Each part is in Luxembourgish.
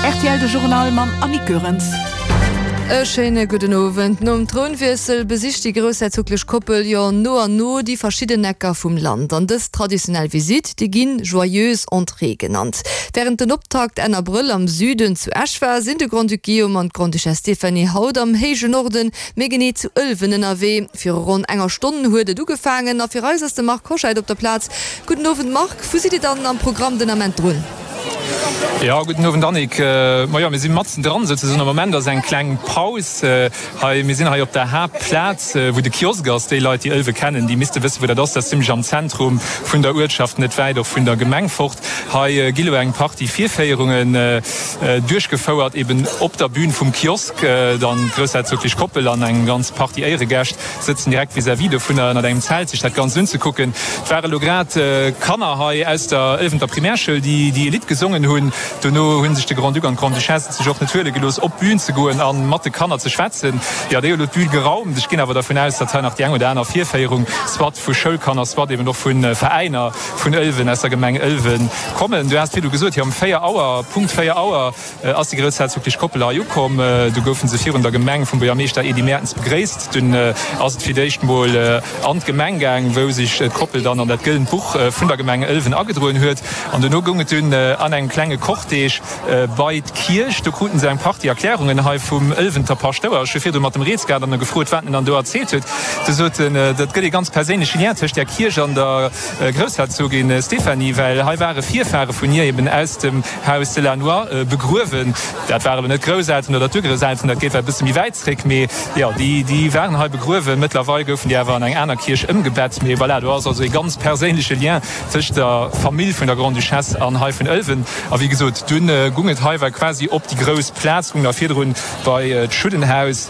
Rtl De Journal mam Annick Goerens. E schéine gudden Owend. Nom Trounwiessel besicht déi groussherzoglech Koppel jo no an no déi verschidden Ecker vum Land. An dës traditionell Visitt, déi ginn Joyeuse Entrée genannt. Wärend den Optakt Enn Abrëll am Süden zu Esch war, sinn de Grand-Duc Guillaume an d'Grande-Duchesse Stéphanie haut am héije Norden, méi genee zu Ëlwen ënnerwee. Viru ronn enger Stonn huet et ugefaangen a fir eis ass de Marc Hoscheid op der Plaz. Gudden Owend Marc, wou sidd Dir dann am Programm den Ament drun? Jo, gudden Owend Annick. Majo, mir si matzen dran souzesoen. Am Moment ass eng kleng Paus hei. Mir sinn hei op der Haaptplaz, wou de Kiosk ass. Déi Leit, déi Ëlwe kennen, déi misste wëssen, wou dat ass. Dat ass zimmlech am Zentrum vun der Uertschaft, net wäit och vun der Gemeng fort. Hei gi lo eng Partie Virféierungen duerchgefouert, eben op der Bün vum Kiosk. Dann d'groussherzoglech Koppel an eng ganz Partie Éieregäscht sëtzen direkt vis-à-vis dovunner ënnert engem Zelt sech dat Ganzt unzekucken. Et ware lo grad Kanner hei aus der Ëlwenter Primärschoul, déi déi e Lidd gesongen hunn. Dono hu sech de Grand-Duc an d'Grande-Duchesse et sech och net huele gelooss, op d'Bün ze goen a mat de Kanner ze schwätzen. Jo, déi hu lo d'Bün geraumt. Ech ginn awer dervun aus, datt hei nach déi eng oder aner Virféierung, soit vu Schoulkanner, soit eben och vu Veräiner vun Ëlwen, aus der Gemeng Ëlwen kommen. Du has virdu gesot, jo, um 4 Auer, Punkt 4 Auer, Ass déi groussherzoglech Koppel hei ukomm, du goufen se virun der Gemeng vum Buergermeeschter Edy Mertens begréisst. Dunn ass et fir d'éischt mol an d'Gemeng gaang, wou sech d'Koppel dann an dat gëllent Buch vun der Gemeng Ëlwen agedroen huet. An dono goung et dunn an engem klenge Cortège bei d'Kierch. Do kruten se eng Partie Erklärungen hei vum Ëlwenter Paschtouer. Ech hu virdru mat dem Rees gehat an e gefrot, wat en dann do erzielt huet. Du sot en, dat gëtt ee ganz perséinleche Lien tëscht där Kierch an der Groussherzogin Stéphanie, well hei ware Virfahre vun hir eben aus dem Haus de Lannoy begruewen. Dat waren elo net d'Grousselteren oder d'Urgrousselteren, dat geet well e bësse méi wäit zréck, mee jo, déi, déi waren hei begruewen. Mëttlerweil goufen déi awer an eng aner Kierch ëmgebett. Mee voilà, do ass also ee ganz perséinleche Lien tëscht der Famill vun der Grande-Duchesse an hei vun Ëlwen. A wéi gesot, dunn gung et hei well quasi op déi grouss Plaz, gung da virdrun bei d'Schuddenhaus.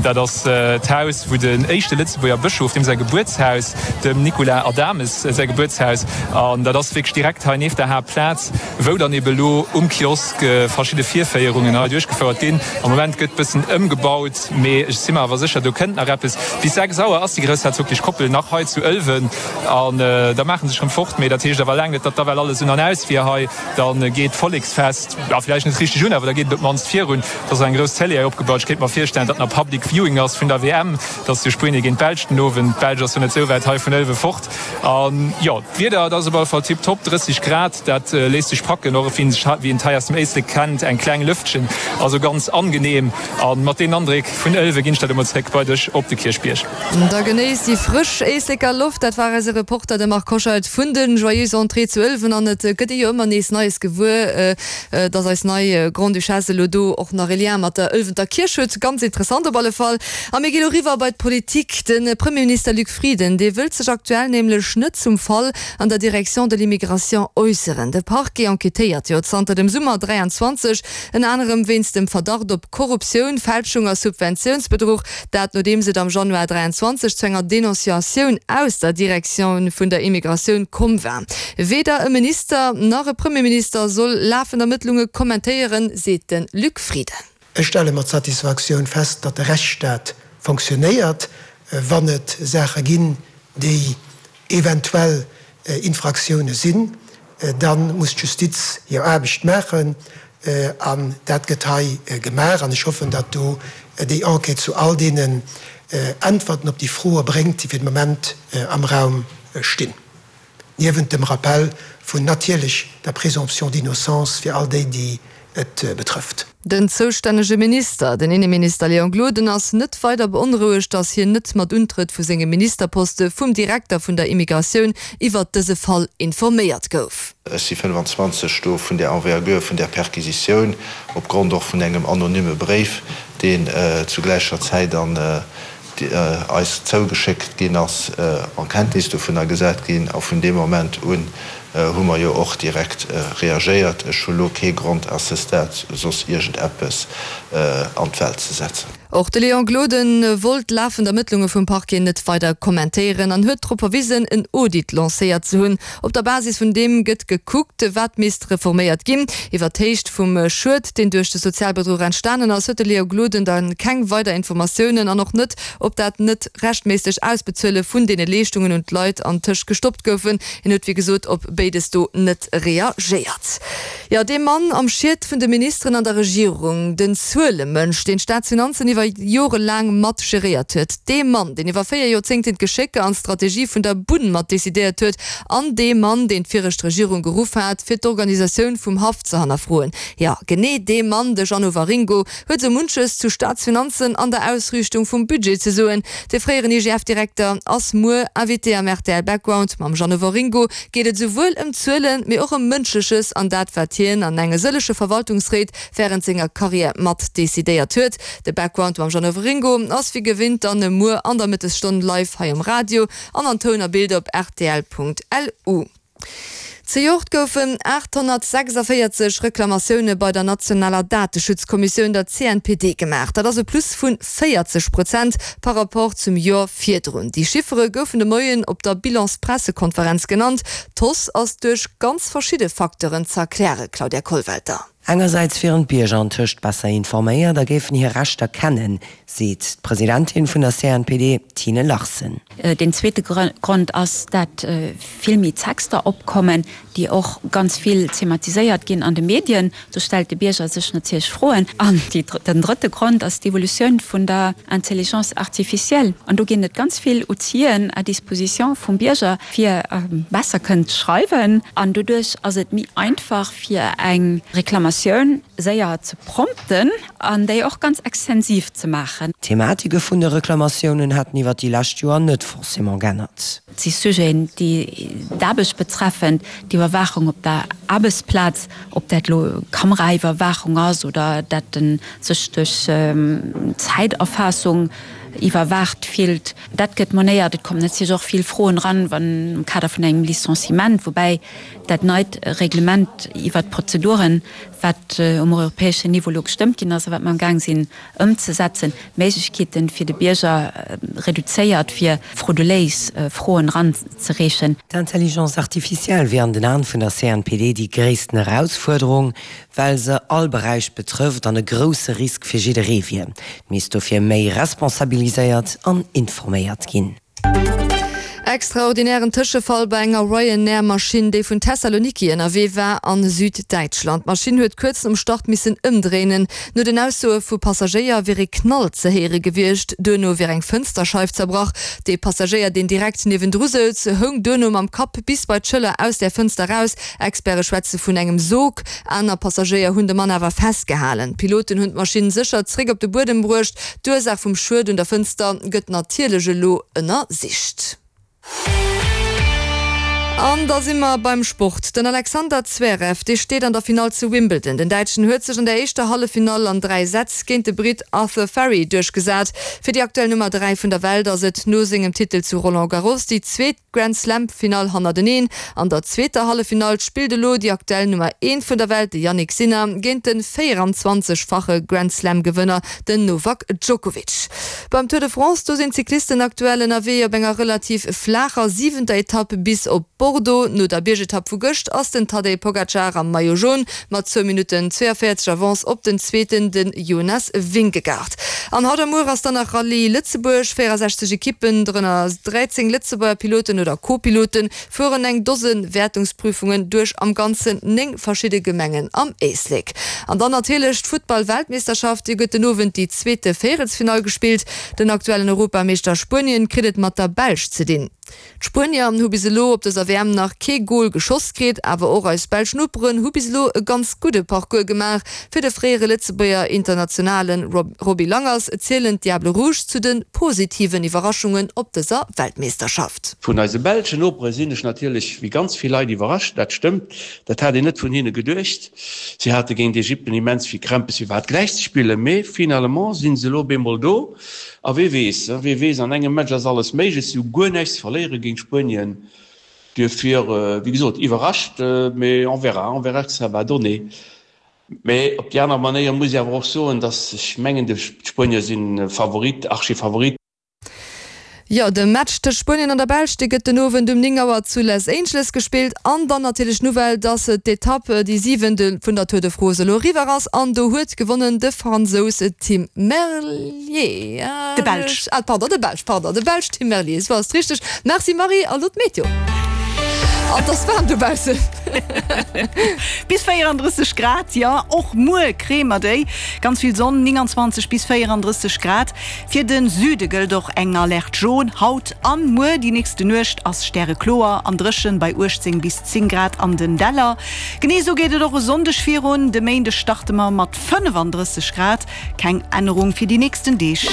Dat ass d'Haus, wou den éischte Lëtzebuerger Bëschof, deem säi Gebuertshaus, dem Nicolas Adames säi Gebuertshaus, an dat ass wierklech direkt hei nieft der Haaptplaz, wou dann ebe lo um Kiosk verschidde Virféierungen hei duerchgefouert ginn. Am Moment gëtt bëssen ëmgebaut, mee ech si mer awer sécher, do kënnt nach eppes. Bis 6 Auer ass déi groussherzoglech Koppel nach hei zu Ëlwen an da maache se sech rëm fort. Mee dat heescht awer laang net, datt da well alles un an aus wier hei. Da geet d'Volleksfest, jo vläicht net richteg un, awer da geet et op d'mannst virun. Et ass eng grouss Télé hei opgebaut. Ech kéint mer virstellen, datt nach Public Viewing ass vun der WM. Et ass jo Spuenie géint d'Belsch den Owend. D'Belsch ass jo net esou wäit hei vun Ëlwe fort. An jo, d'Wieder, dat ass op alle Fall tiptop, 30 Grad, dat léisst sech packen, och wien sech, wien et hei aus dem Éislek kennt, eng kleng Lëftchen, also ganz angenehm. A mat deenen Andréck vun Ëlwe ginn ech dat emol zréck bei dech op de Kierchbierg. Da genéisst déi frësch Éisleker Loft, dat war eise Reporter, de Marc Hoscheid vun de Joyeuses Entrées zu Ëlwen. An et gëtt ee jo ëmmer nees Neies gewuer, dass eis nei Grande-Duchesse elo do och nach e Lien mat der Ëlwenter Kierch huet. Ganz interessant op alle Fall. A mir gi lo riwwer bei d'Politik. De Premierminister Luc Frieden, dee wëllt sech aktuell nämlech net zum Fall an der Direction de l'immigration äusseren. De Parquet enquêtéiert jo zanter dem Summer 23, ënner anerem wéinst dem Verdacht op Korruptioun, Fälschung a Subventiounsbedruch. Dat nodeems et am Januar 23 zu enger Denonciatioun aus der Direction vun der Immigratioun komm war. Weder e Minister nach e Premierminister soll lafend Ermëttlunge kommentéieren, seet de Luc Frieden. Ech stelle mat Satisfaktioun fest, datt de Rechtsstaat fonctionnéiert. Wann et Saache ginn, déi eventuell Infraktioune sinn, da muss d'Justiz hir Aarbecht maachen. An dat gëtt hei gemaach. An ech hoffen, datt do déi Enquête zu all deenen Äntwerten op déi Froe bréngt, déi fir de Moment am Raum stinn. Niewent dem Rappell vun natierlech der Présomption d'innocence fir all déi, déi et betrëfft. Den zoustännege Minister, den Inneminister Léon Gloden, ass net weider beonrouegt, datt hien net mat Untrëtt vu sengem Ministerposte vum Direkter vun der Immigratioun iwwert dëse Fall informéiert gouf. Ech si 25 do vun där Envergure vun där Perquisitioun, opgrond och vun engem anonyme Bréif, deen zu gläicher Zäit an eis zougeschéckt ginn ass, en Kenntnis dovunner gesat ginn. A vun deem Moment un hu mer jo och direkt reagéiert. Ech hu lo kee Grond à ce stade soss iergendeppes an d'Welt ze setzen. Och de Léon Gloden wollt d'lafend Ermëttlunge vum Parquet net weider kommentéieren an huet drop verwisen, en Audit lancéiert ze hunn. Op der Basis vun deem gëtt gekuckt, wat misst reforméiert ginn. Iwwer d'Héicht vum Schued, deen duerch de Sozialbedruch entstanen ass, huet de Léo Gloden da keng weider Informatiounen an och net, ob dat net rechtméisseg Ausbezuele vun deene Leeschtungen un d'Leit antëscht gestoppt goufen. Hien huet wéi gesot op béides do net reagéiert. Jo, dee Mann am Schiet vun de Ministeren an der Regierung, den Zuelemënsch, deen d'Staatsfinanzen iwwer Jore laang mat geréiert huet, dee Mann, deen iwwer 4 Joerzéngten d'Geschécker an d'Strategie vun der Bunn mat decidéiert huet an dee Mann, deen d'viregt Regierung geruff hat, fir d'Organisatioun vum Haff ze hannerfroen, jo, genee dee Mann, de Jeannot Waringo, huet sou munches zu Staatsfinanzen an der Ausriichtung vum Budget ze soen. De fréieren IGF-Direkter ass muer Invité am rtl Background. Mam Jeannot Waringo geet et esouwuel ëm Zuelen, mee och ëm Mënschleches an dat, wat hien an enge sëllege Verwaltungsréit wärend senger Karriär mat decidéiert huet. De Background mam Jeannot Waringo ass wéi gewinnt dann muer an der Mëttesstonn live hei um Radio an an Toun a Bild op rtl.lu. Zejoert goufen 846 Reklamatioune bei der nationaler Dateschutzkommissioun, der CNPD, gemaach. Dat ass e Plus vu 40 Prozent par Rapport zum Joer virdrun. Déi Chiffere goufen de Moien op der Bilanspressekonferenz genannt. D'Hausse ass duerch ganz verschidde Facteuren ze erklären, Claudia Kollwelter. Engersäits wieren d'Bierger antëscht besser informéiert a géifen hir Rechter kennen, seet d'Presidentin vun der CNPD, Tine Larsen. Deen zweete Grond ass, dat vill méi Texter opkommen, déi och ganz vill thematiséiert ginn an de Medien. Do stellt de Bierger sech natierlech Froen. An den drëtte Grond ass d'Evolutioun vun der Intelligence artificielle. An do ginn et ganz vill Outiller à disposition vum Bierger, fir besser kënnen ze schreiwen. An doduerch ass et méi einfach, fir eng Reklamatioun séier ze prompten an déi och ganz extensiv ze maachen. D'Thematike vun de Reklamatiounen hätten iwwer déi lescht Joer net forcément g'ännert. Et si Sujeten, déi d'Aarbecht betreffen, d'Iwwerwaachung op der Aarbechtsplaz, ob dat elo Kameraiwwerwaachung ass oder dat en sech duerch Zäiterfaassung iwwerwaacht fillt. Dat gëtt monéiert. Et kommen natierlech och vill Froen eran, wann am Kader vun engem Licenciement, woubäi dat neit Reglement iwwert d'Prozeduren, wat um europäeschen Niveau elo gestëmmt ginn ass a wat mer amgaang sinn ëmzesetzen, d'Méiglechkeeten fir de Bierger reduzéiert, fir frauduléis Froen eranzereechen. D'Intelligence artificielle wier an den Aen vun der CNPD déi gréissten Erausfuerderung, well se all Beräich betrëfft an e grousse Risk fir jidderee wier. Et misst dofir méi responsabiliséiert an informéiert ginn. Extraordinären Tëschefall bei enger Ryanair-Maschinn, déi vun Thessaloniki ënnerwee war a Süddäitschland. D'Maschinn huet kuerz nom Start missen ëmdréinen. No den Aussoe vu Passagéier wier ee Knall ze héiere gewiescht. Duerno wier eng Fënsterscheif zerbrach. De Passagéier, deen direkt niewendru souz, houng duerno mam Kapp bis bei d'Schëller aus där Fënster raus. Experte schwätze vun engem Sog. Aner Passagéier hunn de Mann awer festgehalen. D'Piloten hunn d'Maschinn sécher zréck op de Buedem bruecht. D'Ursaach vum Schued un der Fënster gëtt natierlech elo ënnersicht. An da si mer beim Sport. Den Alexander Zverev, dee steet an der Finall zu Wimbledon. Den Däitschen huet sech an der éischter Halleffinall an 3 Sätz géint de Britt Arthur Fery duerchgesat. Fir déi aktuell Nummer 3 vun der Welt ass et no sengem Titel zu Roland Garros déi zweet Grand Slam Finall hannerteneen. An der zweeter Halleffinall spillt elo déi aktuell Nummer eent vun der Welt, de Jannik Sinner, géint de 24 fache Grand Slam Gewënner, den Novak Djokovic. Beim Tour de France, do sinn d'Cyclisten aktuell ënnerwee op enger relativ flaacher siwenter Etapp bis op Bordeaux. No der Biergetapp vu gëscht ass den Tadej Pogacar am Maillot Jaune mat zwou Minutten 42 Avance op den Zweeten, de Jonas Vingegaard. An haut a muer ass dann nach Rallye Lëtzebuerg. 64 Ekippen, dorënner 13 Lëtzebuerger Piloten oder Co-Piloten, fueren eng Dose Wäertungsprüfungen duerch am Ganzen 9 verschidde Gemengen am Éislek. An dann natierlech d'Futtball-Weltmeeschterschaft, Déi gëtt den Owend déi zweete Véierelsfinall gespillt. Den aktuellen Europameeschter Spuenien kritt et mat der Belsch ze dinn. D'Spuenier hu bis elo op dëser WM nach kee Gol geschoss kritt, awer och eis belsch Noperen hu bis elo e ganz gudde Parcours gemaach. Fir de fréiere Lëtzebuerger Internationale Roby Langers zielen d'Diables Rouges zu de positiven Iwwerraschungen op dëser Weltmeeschterschaft. Vun eise belschen Nopere sinn ech natierlech wéi ganz vill Leit iwwerrascht, dat stëmmt, dat hat een net vun hinne geduecht. Si hate géint Ägypten immens vill Krämpes fir iwwerhaapt gläich ze spillen, mee finalement si se elo op eemol do. A wee weess, wee weess, an engem Match ass alles méiglech. Si hu guer näischt ze verléiere géint Spuenien. Duerfir, wéi gesot, iwwerrascht, mee on verra, on verra ce que ça va donner. Mee op déi aner Manéier muss ech awer och soen, datt ech mengen, d'Spuenier si Favorit, Archifavorit. Jo, de Match tëscht Spuenien an der Belsch, dee gëtt den Owend um 9 Auer zu Les Angeles gespillt. An dann natierlech d'Nouvelle, dass d'Etapp, déi siwent vun der Tour de France elo eriwwer ass. An do huet gewonnen de Fransous Tim Merlier. De Belsch. Ah, pardon, de Belsch, pardon, de Belsch Tim Merlier, esou ass et richteg. Merci Marie, a lo d'Meteo. An et ass waarm dobaussen. Bis 34 Grad, jo, och muer kréie mer déi. Ganz vill Sonn, 29 bis 34 Grad. Fir de Süde gëllt och eng Alerte jaune haut an muer. Déi nächste Nuecht ass stärekloer an dréchen bei 18 bis 10 Grad an den Däller. Genee esou geet et och e Sonndeg virun. De Méindeg starte mer mat 35 Grad. Keng Ännerung fir déi nächsten Deeg.